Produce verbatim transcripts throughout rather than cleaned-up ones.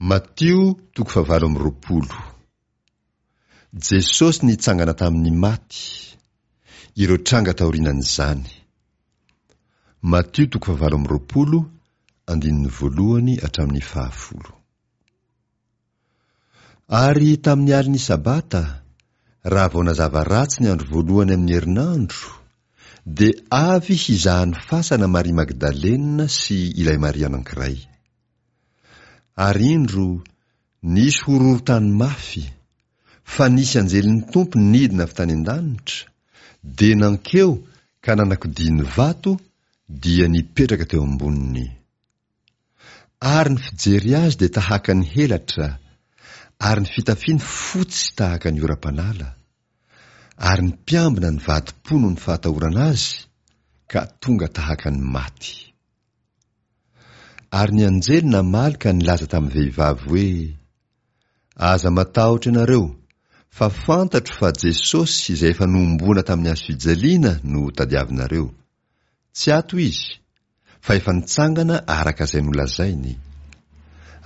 Matio toko fahavalo amby roapolo. Jesosy nitsangana tamin'ny maty. Ireo tranga taorianan'izany. Matio toko fahavalo amby roapolo, andininy voalohany hatramin'ny fahafolo. Ary tamin'ny alin'ny Sabata, raha vao nazava ratsy ny andro voalohany amin'ny herinandro, dia avy hizaha ny fasana Maria Magdalena sy ilay Maria anankiray. Ary indro, nisy horohorontany mafy, fa nisy anjelin'ny Tompo nidina avy tany an-danitra, dia nankeo ka nanakodia ny vato, dia nipetraka teo amboniny. Ary ny fijery azy dia tahaka ny helatra, ary ny fitafiany fotsy tahaka ny oram-panala. Ary ny mpiambina nivadi-po noho ny fahatahorana azy, ka tonga tahaka ny maty. Ary ny anjely namaly ka nilaza tamin'ny vehivavy hoe: Aza matahotra ianareo, fa fantatro fa Jesosy izay efa nohomboana tamin'ny hazo fijaliana no tadiavinareo. Tsy ato izy, fa efa nitsangana araka izay nolazainy.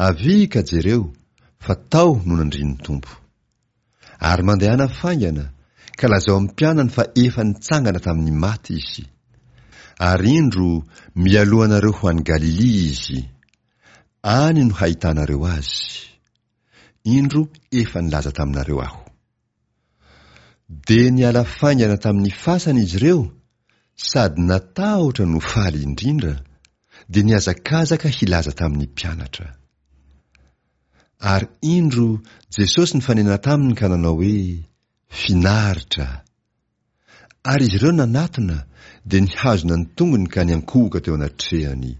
Avia ka jereo, fa tao no nandrian'ny Tompo. Ary mandehana faingana, ka lazao amin'ny mpianany fa efa nitsangana tamin'ny maty izy. Ary indro, mialoha anareo ho any Galilia izy. Any no hahitanareo azy. Indro efa nilaza taminareo aho. Dia niala faingana tamin'ny fasana izy ireo, sady natahotra no faly indrindra, dia nihazakazaka hilaza tamin'ny mpianatra. Ary indro Jesosy nifanena taminy ka nanao hoe: Finaritra. Ary izy ireo nanatona, dia nihazona ny tongony ka niankohoka teo anatrehany.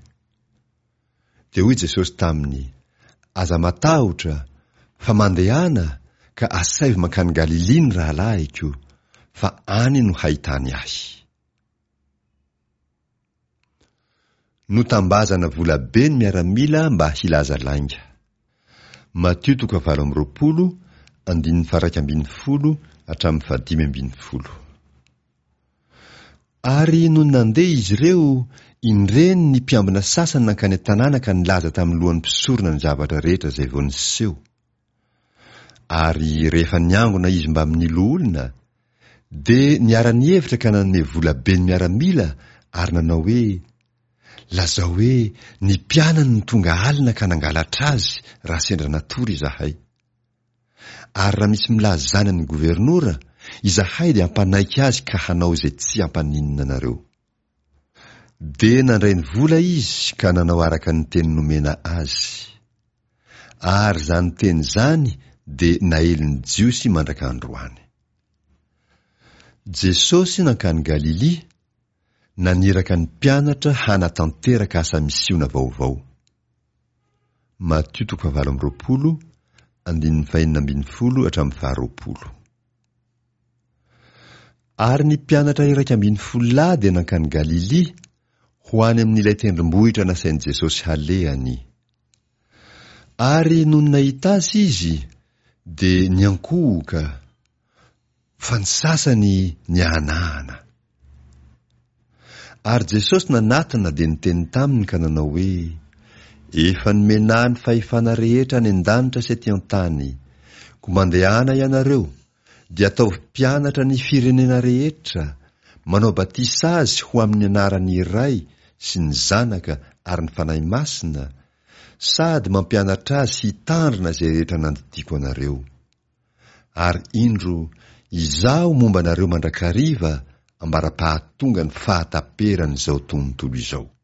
Dia hoy Jesosy taminy: Aza matahotra, fa mandehana ka asaivo mankany Galilia ny rahalahiko, fa any no hahitany ahy. Notambazana volabe ny miaramila mba hilaza lainga. Matio toko fahavalo amby roapolo, andininy faha-iraika ambin'ny folo hatramin'ny fahadimy ambin'ny folo. Ary nony nandeha izy ireo, indreny ny mpiambina sasany nankany an-tanàna ka nilaza tamin'ny lohan'ny mpisorona ny zavatra rehetra izay vao niseho. Ary rehefa niangona izy mbamin'ny loholona, dia niara-nihevitra ka nanome vola be ny miaramila ary nanao hoe: Lazao hoe ny mpianany no tonga alina ka nangalatra azy raha sendra natory izahay. Ary raha misy milaza izany amin'ny governora, izahay dia hampanaiky azy ka hanao izay tsy hampaninona anareo. Dia nandray ny vola izy ka nanao araka ny teny nomena azy. Ary izany teny izany dia naelin'ny Jiosy mandraka androany. Jesosy nankany Galilia, naniraka ny mpianatra hanatanteraka asa misiona vaovao. Matio toko fahavalo amby roapolo, andininy fahenina ambin'ny folo hatramin'ny faharoapolo. Ary ny mpianatra iraika ambin'ny folo lahy dia nankany Galilia, ho any amin'ilay tendrombohitra nasain'i Jesosy halehany. Ary nony nahita azy izy, dia niankohoka, fa ny sasany niahanahana. Ary Jesosy nanatona dia niteny taminy ka nanao hoe: Efa nomena ahy ny fahefana rehetra any an-danitra sy aty an-tany. Koa mandehana ianareo, dia ataovy mpianatra ny firenena rehetra, manao batisa azy ho amin'ny anaran'ny Ray sy ny Zanaka ary ny Fanahy Masina, sady mampianatra azy hitandrina izay rehetra nandidiako anareo. Ary indro, Izaho momba anareo mandrakariva ambara-pahatonga ny fahataperan'izao tontolo izao.